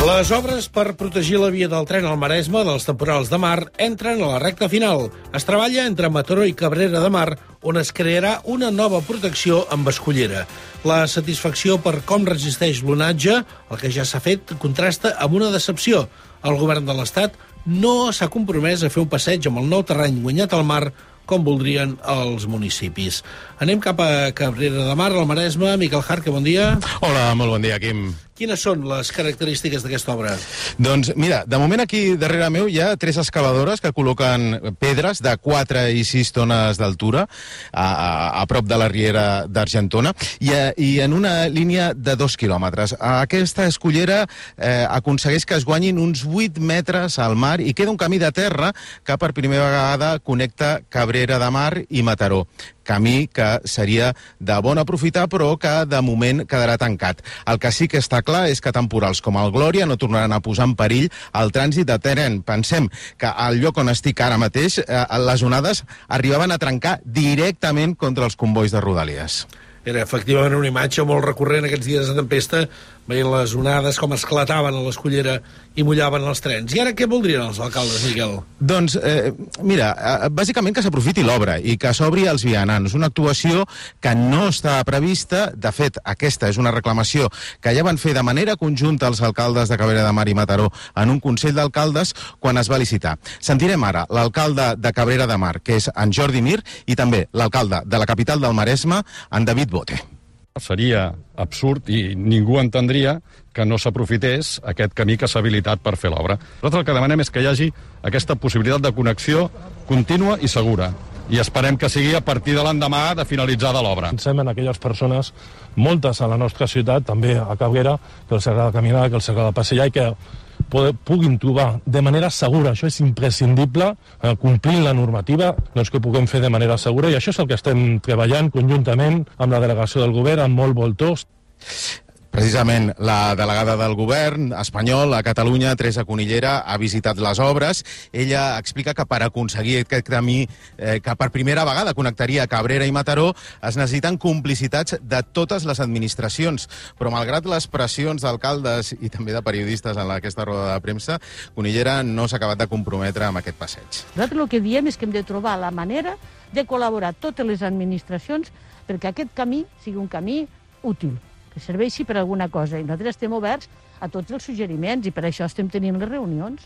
Les obres per protegir la via del tren al Maresme dels temporals de mar entren a la recta final. Es treballa entre Mataró i Cabrera de Mar, on es crearà una nova protecció amb escullera. La satisfacció per com resisteix l'onatge, el que ja s'ha fet, contrasta amb una decepció. El govern de l'Estat no s'ha compromès a fer un passeig amb el nou terreny guanyat al mar com voldrien els municipis. Anem cap a Cabrera de Mar, al Maresme. Miquel Jarque, bon dia. Hola, molt bon dia, Quim. Quines són les característiques d'aquesta obra? Doncs mira, de moment aquí darrere meu hi ha 3 excavadores que col·loquen pedres de 4 i 6 tones d'altura a prop de la riera d'Argentona i en una línia de 2 quilòmetres. Aquesta escullera aconsegueix que es guanyin uns 8 metres al mar i queda un camí de terra que per primera vegada connecta Cabrera de Mar i Mataró. Camí que seria de bon aprofitar, però que de moment quedarà tancat. El que sí que està clar és que temporals com el Glòria no tornaran a posar en perill el trànsit de tren. Pensem que al lloc on estic ara mateix, les onades arribaven a trencar directament contra els combois de Rodalies. Era efectivament una imatge molt recurrent aquests dies de tempesta, veient les onades com esclataven a l'escullera i mullaven els trens. I ara què voldrien els alcaldes, Miquel? Doncs, mira, bàsicament que s'aprofiti l'obra i que s'obri als vianants. Una actuació que no està prevista. De fet, aquesta és una reclamació que ja van fer de manera conjunta els alcaldes de Cabrera de Mar i Mataró en un Consell d'Alcaldes quan es va licitar. Sentirem ara l'alcalde de Cabrera de Mar, que és en Jordi Mir, i també l'alcalde de la capital del Maresme, en David Bote. Seria absurd i ningú entendria que no s'aprofités aquest camí que s'ha habilitat per fer l'obra. Nosaltres el que demanem és que hi hagi aquesta possibilitat de connexió contínua i segura. I esperem que sigui a partir de l'endemà de finalitzada l'obra. Pensem en aquelles persones, moltes a la nostra ciutat, també a Cabrera, que els agrada caminar, que els agrada passejar i que puguin trobar de manera segura, això és imprescindible, complint la normativa, doncs que puguem fer de manera segura, i això és el que estem treballant conjuntament amb la delegació del govern, amb molt voltors. Precisament la delegada del govern espanyol a Catalunya, Teresa Cunillera, ha visitat les obres. Ella explica que per aconseguir aquest camí que per primera vegada connectaria Cabrera i Mataró es necessiten complicitats de totes les administracions. Però malgrat les pressions d'alcaldes i també de periodistes en aquesta roda de premsa, Cunillera no s'ha acabat de comprometre amb aquest passeig. Nosaltres el que diem és que hem de trobar la manera de col·laborar totes les administracions perquè aquest camí sigui un camí útil, que serveixi per alguna cosa. I nosaltres estem oberts a tots els suggeriments i per això estem tenint les reunions.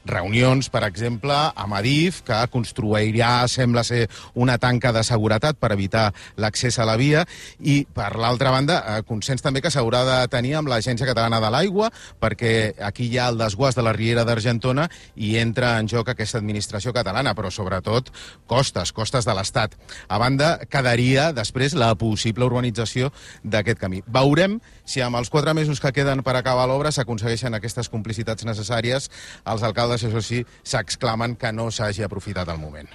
Reunions, per exemple, amb Adif, que construirà, sembla ser, una tanca de seguretat per evitar l'accés a la via, i, per l'altra banda, consens també que s'haurà de tenir amb l'Agència Catalana de l'Aigua, perquè aquí hi ha el desguàs de la riera d'Argentona i entra en joc aquesta administració catalana, però sobretot costes de l'Estat. A banda, quedaria després la possible urbanització d'aquest camí. Veurem si amb els 4 mesos que queden per acabar l'obra s'aconsegueixen aquestes complicitats necessàries. Els alcaldes, això sí, s'exclamen que no s'hagi aprofitat el moment.